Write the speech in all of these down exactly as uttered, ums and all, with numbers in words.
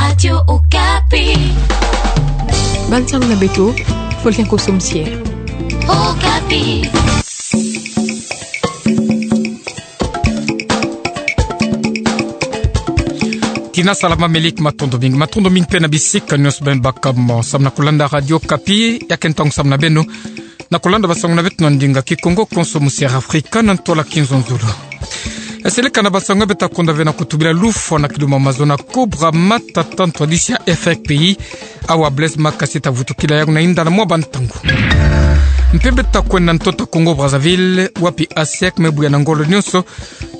Radio Okapi. Bansango na beto, fo liankoso misier. Okapi. Tina salama, meliki matondo mingi. Matondo mingi pe na bisika nyonso beno baka mo samu na kulanda Radio Okapi. Ya ke ntangu samu na beno na kulanda bansango na beto na ndinga Kikongo konso misier Afrika na ntwala Kinzonzolo. Eseleka na bansango beto ta konda ve na kutubila lufwa na kiluma mazono ya Cobra Matata, ntwadisi ya F R P I. Awa Blaise Makasi ta vutukila yawu na inda na mwa bantangu. Mpe beto ta kwenda na ntoto Congo Brazzaville, wapi ASEC me buya na ngolo nyonso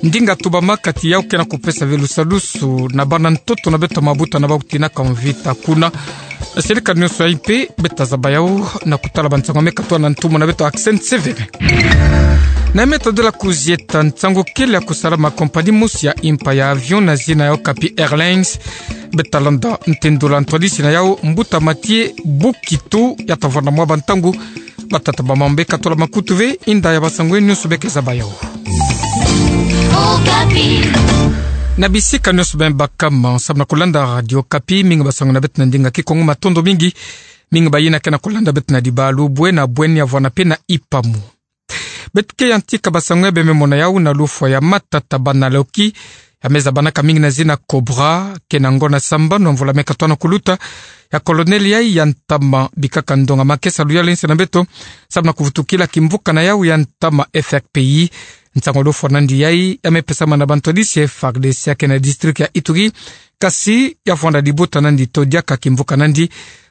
ndinga tubama kati yawu ke na kupesa ve lusadusu na bana ntoto na beto ya mabuta na bau tinaka mvita kuna. Eseleka nyonso yayi mpe beto ta zaba yawu na kutala bansango me katwa na ntumwa na beto Accent Sévérin. Na meta de la kuzieta, nsangu kele ya kusalama compagnie mosi ya impa ya avion na zina ya Okapi Airlines. Beto ta landa ntendula ntwadisi na yawu, mbuta Mathieu Bukitu, ya ta vwanda mwa bantangu. Batata bamama, beno katola makutu ve inda ya bansangu nyonso beno ke zaba yawu. Okapi. Na bisika nyonso beno baka mo samu na kulanda Radio Okapi, mingi bansango na beto na ndinga Kikongo, matondo mingi. Mingi bayina ke na kulanda beto na Dibalu, Bouéna, Bouéni, Avouana mpe na Ipamu. Beto ke yantika bansango ya beno me mona yawu na lufwa ya Matata Banaloki, ya me zabanaka mingi na zina Cobra, ke na ngonda sambanu ya mvula me katwa na kuluta, ya colonel yayi ya ntama bikaka ndonga makesa ya luyalu nsi na beto, samu na kuvutukila kimvuka na yawu ya ntama F R P I. Nsangu ya lufwa nandi yayi ya me pesama na bantwadisi ya F A R D C ya ke na district ya Ituri, kasi ya vwanda dibuta nandi to diaka kimvuka nandi.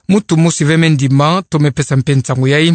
Muntu mosi ve me ndima to me pesa mpe nsangu yayi.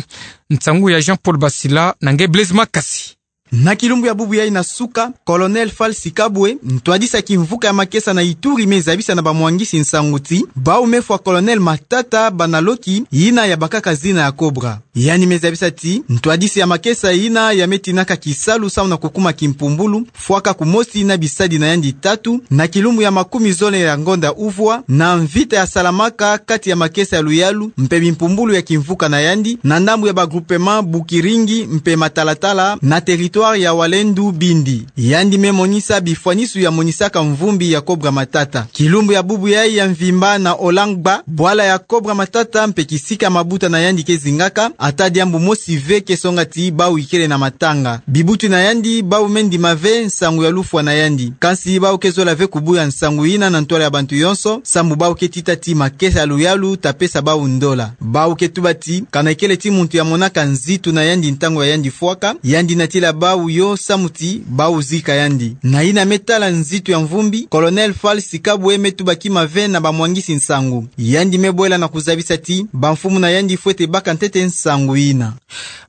Nsangu ya Jean-Paul Basila na nge Blaise Makasi. Na kilumbu ya bubu yayi na suka, Colonel Falsi Kabwe, ntwadisi ya kimvuka ya makesa na Ituri, me zabisa na bamwangisi nsangu ti bau me fwa Colonel Matata Banaloki, yina ya bakaka zina ya Cobra. Yandi me zabisa ti ntwadisi ya makesa yina ya me tinaka kisalu samu na kukuma kimpumbulu, fwaka kumosi na bisadi na yandi tatu, na kilumbu ya makumi zole ya ngonda uvwa, na mvita ya salamaka kati ya makesa ya luyalu mpe bimpumbulu ya kimvuka na yandi, na ndambu ya ba groupement Bukiringi mpe Matalatala, na territoire ya Walendu Bindi. Yandi me monisa bifwanisu ya monisaka mvumbi ya Cobra Matata. Kilumbu ya bubu yayi ya mvimba na Olangba, bwala ya Cobra Matata mpe kisika mabuta na yandi ke zingaka, ata diambu mosi ve ke songa ti bau ikele na matanga. Bibuti na yandi bau me ndima ve nsangu ya lufwa na yandi. Kansi bau ke zola ve kubuya nsangu yina na ntwala ya bantu yonso, samu bau ke tita ti makesa ya luyalu ta pesa bau ndola. Bau ke tuba ti, kana ikele ti muntu ya monaka nzitu na yandi ntangu ya yandi fwaka, yandi natila bau yo samu ti bau zika yandi. Na yina me tala nzitu ya mvumbi, Colonel Falsi Kabwe me tuba kima ve na bamwangisi nsangu. Yandi me bwela na kuzabisa ti bamfumu na yandi fwete baka ntete nsangu yina.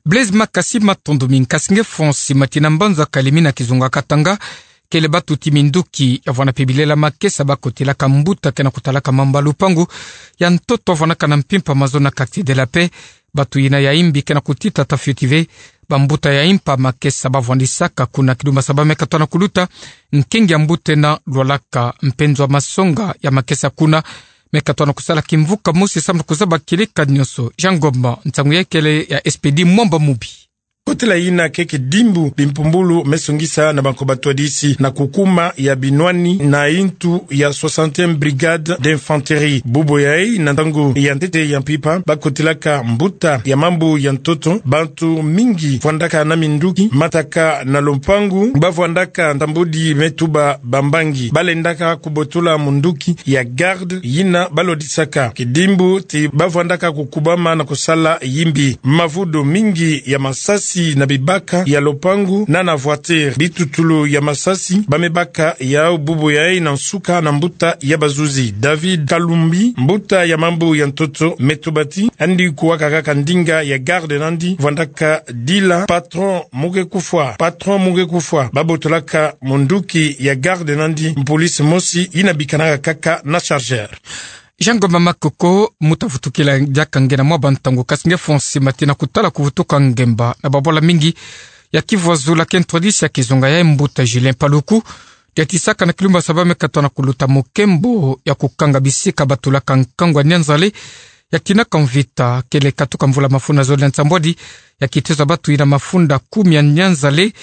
Blaise Makasi, matondo mingi. Kasi nge Fonsi Matina, mbanza Kalemi na kizunga Katanga, kele batu ti minduki ya vwanda mpe bilela makesa ba kotelaka mbuta ke na kutalaka mamba lupangu ya ntoto vwandaka na mpimpa mazono na Quartier de la Paix. Batu yina ya imbi ke na kutita ta fioti ve bambuta ya impa makesa ba vwandisaka kuna. Kilumbu saba me katwa na kuluta, nkengi ya mbuta ena Lwalaka mpe nzo ya masonga ya makesa kuna me katwa na kusala kimvuka mosi samu na kuzaba kieleka nyonso. Jean Ngoma, nsangu yayi kele ya Expédit Mwamba Mubi. Kotela yina ke kidimbu bimpumbulu me songisa na banko batwadisi na kukuma ya binwani na yintu ya soixantième brigade d'infanterie. Bubu yayi na ntangu ya ntete ya mpimpa ba kotelaka mbuta ya mambu ya ntoto, bantu mingi vwandaka na minduki, mataka na lupangu, ba vwandaka ntambudi me tuba bambangi. Ba lendaka kubotola munduki ya garde yina ba lodisaka. Kidimbu ti ba vwandaka kukubama na kusala yimbi. Mavudo mingi ya masasi na bibaka ya lupangu na na voiture. Bitutulu ya masasi ba me baka yau bubu yayi na nsuka na mbuta ya bazuzi. David Kalumbi, mbuta ya mambu ya ntoto, me tuba ti yandi kuwaka kaka ndinga ya garde nandi vwandaka dila: patron, mu ke kufwa, patron, mu ke kufwa. Ba botolaka munduki ya garde nandi mpolisi mosi yina bikanaka kaka na chargeur. Jean Ngoma Makoko, mu ta vutukila diaka nge na mwa bantangu. Kasi nge Fonsi Matina, kutala kuvutuka ngemba na babwala mingi ya Kivuazula ke ntwadisi ya kizunga yayi, mbuta Julien Paluku, diatisaka na kilumbu saba me katwa na kuluta mukembo ya kukanga bisika ba tulaka nkangu ya Nyanzale ya tinaka mvita kele katuka mvula mafunda zole na nsambwadi, ya kitezo ya batu ina mafunda kumi ya Nyanzale,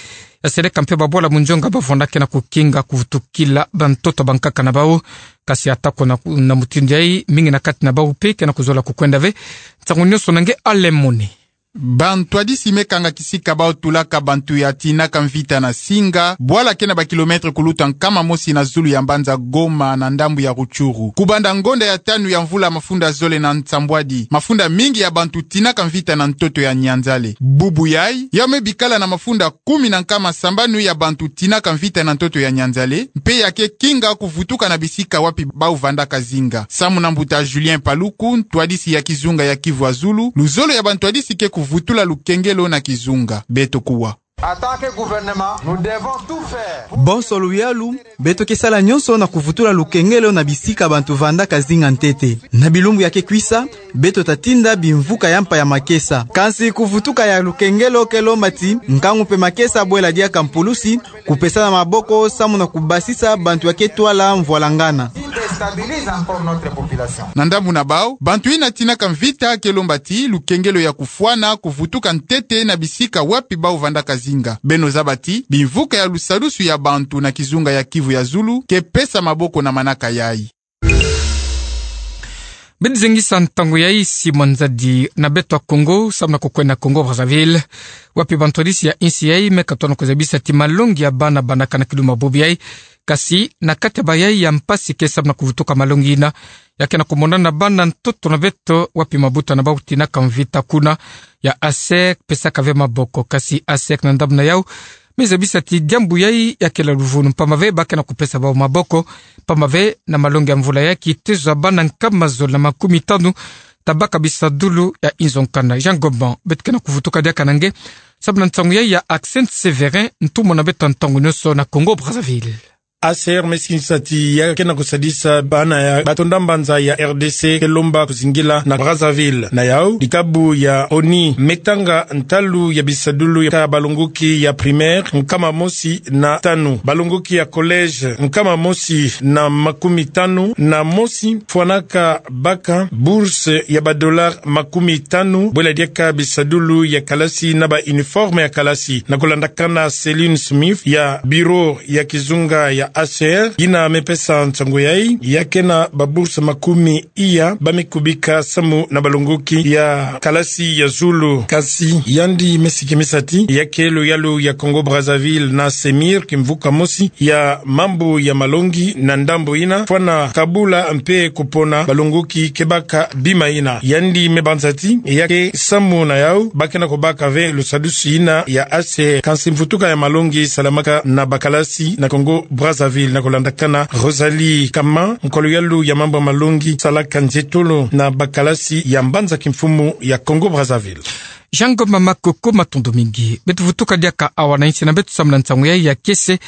ya seleka mpe babwala munjonga bavwandakena kukinga kuvutukila bantoto bankaka na bau. Kasi atako na, na mutindu yayi, mingi na kati na bau mpe kena kuzola kukwenda ve. Nsangu nionso na nge Alemoni. Bantwadisi me kanga kisika bau tulaka bantu ya tinaka mvita na Singa, bwala ke na ba kilomètre kuluta nkama mosi na zulu ya mbanza Goma na ndambu ya Rutshuru. Kubanda ngonda ya tanu ya mvula mafunda zole na nsambwadi, mafunda mingi ya bantu tinaka mvita na ntoto ya Nyanzale. Bubu yayi, yau me bikala na mafunda kumi na nkama sambanu ya bantu tinaka mvita na ntoto ya Nyanzale, mpe ya ke kinga kuvutuka na bisika wapi bau vandaka zinga. Samu na mbuta Julien Paluku, ntwadisi ya kizunga ya Kivu ya Zulu, luzolo ya bantwadisi ke kuvutula lukengelo na kizunga. Beto kuwa. En tant que gouvernement, nous devons tout faire pour... Bonso luyalu, beto ke sala nionso na kuvutula lukengelo na bisika bantu vandaka zinga ntete. Na bilumbu ya ke kwisa, beto ta tinda bimvuka ya mpa ya makesa. Kansi kuvutuka ya lukengelo ke lomba ti nkangu mpe makesa bwela diaka mpulusi, kupesana maboko samu na kubasisa bantu ya ke twala mvwalangana. Qui déstabilise encore notre population. Na ndambu na bau, bantu ina tinaka mvita ke lomba ti lukengelo ya kufwana kuvutuka ntete na bisika wapi bau vandaka zinga. Beno zaba ti bimvuka ya lusadusu ya bantu na kizunga ya Kivu ya Zulu ke pesa maboko na manaka yayi. Beno zengisa ntangu yayi, Simon Nzadi na beto ya Kongo, samu na kukwenda Congo Brazzaville, wapi bantwadisi ya insi yayi me katona kuzabisa ti malongi ya bana bana kana kiluma bubu yayi. Kasi na kati ya bayayi ya mpasi ke samu na kuvutuka malongi ina, ya kena kumonana bana ntoto na beto wapi mabuta na bau tinaka mvita kuna, ya ASEC pesaka ve maboko. Kasi ASEC na ndambu na yau me zabisa ti diambu yayi ya kele luvunu, mpamba ve ba kena kupesa bau maboko, mpamba ve na malongi ya mvula yayi kitezo ya bana nkama zole na makumi tanu ta baka bisadulu ya inzo nkanda. Jean Goban, beto kena kuvutuka diaka na nge samu na ntangu yayi ya Accent Séverin, ntumwa na beto ya ntangu nionso na Congo Brazzaville. ASEC me sikisa ti ya kena kusadisa bana ya batonda mbanza ya RDC ke lomba kuzingila na Brazzaville. Na yau, dikabu ya ONI me tanga ntalu ya bisadulu ya balongoki ya primaire nkama mosi na tanu, balongoki ya collège nkama mosi na makumi tanu na mosi fwanaka baka bourse ya ba dollars makumi tanu, bwela diaka bisadulu ya kalasi na ba uniforme ya kalasi. Na kulandakana Céline Smith ya bureau ya kizunga ya ASEC, ina me pesa nsangu yayi, ya kena ba bourse makumi iya ba me kubika samu na balongoki ya kalasi ya zulu. Kasi yandi me sikimisa ti ya ke luyalu ya Congo Brazzaville na CEMIR, kimvuka mosi ya mambu ya malongi na ndambu ina, fwana kabula mpe kupona balongoki ke baka bima ina. Yandi me banza ti ya ke samu na yau ba kena kubaka ve lusadusu ina ya ASEC. Kansi mvutuka ya malongi salamaka na bakalasi na Congo Brazzaville, na kulandakana Rosalie Kama, nkwa luyalu ya mambu ya malongi salaka nzietolo na bakalasi ya mbanza kimfumu ya Congo Brazzaville. Jean Goban Makoko, matondo mingi. Beto vutuka diaka awa na insi na beto samu na nsangu yayi ya kiese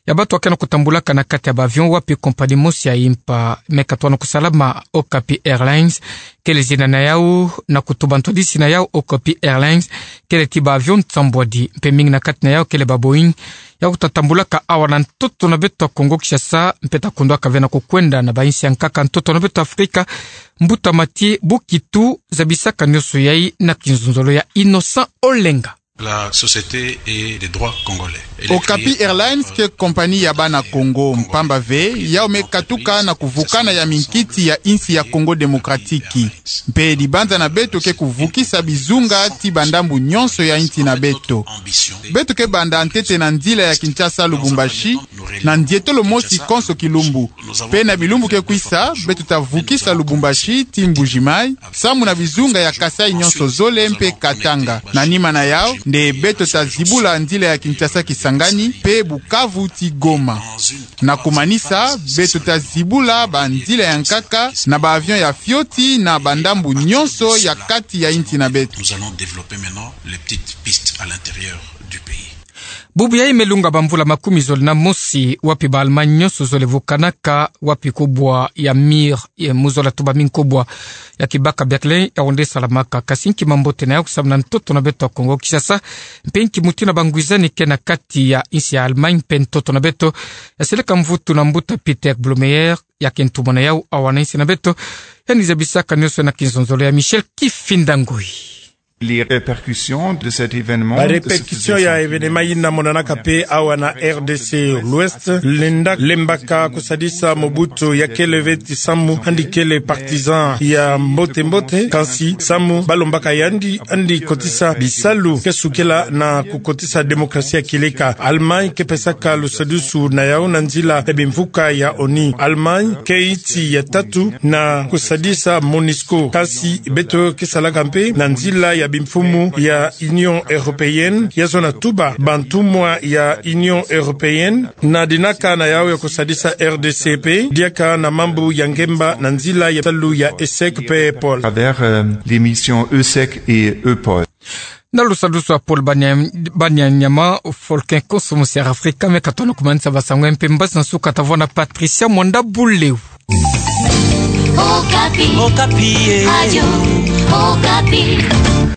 ya bato ya kena kutambulaka na kati ya ba avion, wapi compagnie mosi ya impa me katona kusalama, Okapi Airlines kele zina na yau, na kutuba ntwadisi na yau. Okapi Airlines kele ti ba avion nsambwadi, mpe mingi na kati na yau kele ba Boeing, ya kuta tambulaka awa na ntoto na beto ya Kongo Kinshasa, mpe ta kundwaka ve na kukwenda na ba insi ya nkaka ntoto na beto Afrika. Mbuta Mathieu Bukitu zabisaka nionso yayi na kinzonzolo ya Innocent Olenga. La société et les droits congolais. Okapi Airlines ke compagnie ya bana Kongo, mpamba ve yau me katuka na kuvukana ya minkiti ya insi ya Congo Démocratique. Mpe dibanza na beto ke kuvukisa bizunga ti bandambu nionso ya insi na beto. Beto ke banda ntete na nzila ya Kinshasa Lubumbashi, na nzietolo mosi konso kilumbu. Mpe na bilumbu ke kwisa, beto ta vukisa Lubumbashi ti Mbuji-Mayi, samu na bizunga ya Kasaï nionso zole mpe Katanga. Na nima na yau, nde beto ta zibula nzila ya Kinshasa Kisangani mpe Bukavu ti Goma. Na kumanisa, beto ta zibula ba nzila ya nkaka na ba avion ya fioti na bandambu nionso ya kati ya insi na beto. Nous allons développer maintenant les petites pistes à l'intérieur du pays. Bubu yayi me lunga bamvula makumi zole na mosi, wapi ba Allemagne nionso zole vukanaka, wapi kubwa ya mur, e, mu zola tubami kubwa ya kibaka Berlin, ya onde salamaka. Kasi nki mambote na yau samu na ntoto na beto ya Kongo Kinshasa, mpe nki mutindu na bangwizani ke na kati ya insi ya Allemagne mpe ntoto na beto? Ya seleka mvutu na mbuta Peter Blumeyer, ya ke ntumwa na yau, awa na isi na beto, ya ni zabisaka nionso na kinzonzolo ya Michel Kifinda Ngoi. Les répercussions de cet événement, de ce Ba répercussion ya événement ina monanaka pe awa na R D C l'Ouest, lenda lembaka kusadisa Mobutu ya kele veti samu andi kele partisan ya mbote mbote, kansi samu balombaka yandi andi kotisa bisalu ke sukela na kukotisa démocratie ya kileka. Allemagne ke pesaka lusadisu na yau na nzila ya bimvuka ya ONU. Allemagne ke iti ya tatu na kusadisa MONUSCO. Kansi beto ke salaka mpe na nzila ya bimfumu ya Union Européenne, ya zona tuba bantumwa ya Union Européenne, na dinaka na yau ya kusadisa R D C pe, diaka na mambu ya ngemba na nzila ya salu ya ESSEC pe EUPOL. À travers, euh, les missions EUSEC et EUPOL. Na lusadisu a Paul Bania-, Banianyama, Folkin Koso, musi Afrika, me katona kumanisa basango mpe mbasi na suka tavona Patricia Mwanda Buleu. Okapi. Okapi, eh. Radio Okapi.